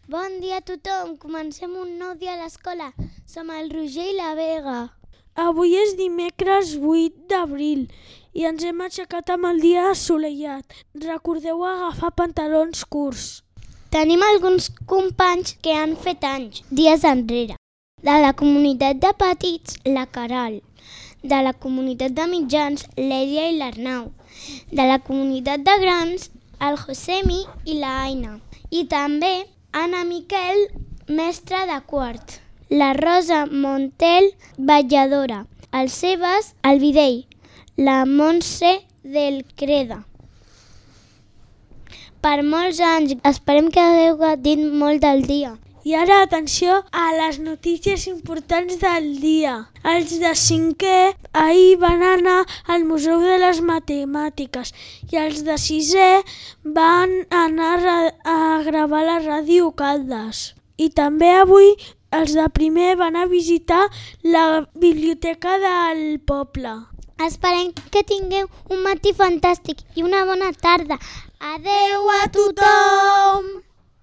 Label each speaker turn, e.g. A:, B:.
A: Bon dia a tothom, comencem un nou dia a l'escola. Som el Roger i la Vega.
B: Avui és dimecres 8 d'abril i ens hem aixecat amb el dia assolellat. Recordeu agafar pantalons curts.
A: Tenim alguns companys que han fet anys, dies enrere. De la comunitat de petits, la Caral. De la comunitat de mitjans, l'Èlia i l'Arnau. De la comunitat de grans, el Josemi i la Aina. I també Anna Miquel, mestra de quart. La Rosa Montel, balladora. El Sebas, el Videll. La Montse del Creda. Per molts anys, esperem que hagueu gaudit molt del dia.
B: I ara atenció a les notícies importants del dia. Els de 5è ahir van anar al Museu de les Matemàtiques i els de 6è van anar a gravar la ràdio Caldes. I també avui els de primer van a visitar la biblioteca del poble.
A: Esperem que tingueu un matí fantàstic i una bona tarda. Adeu a tothom!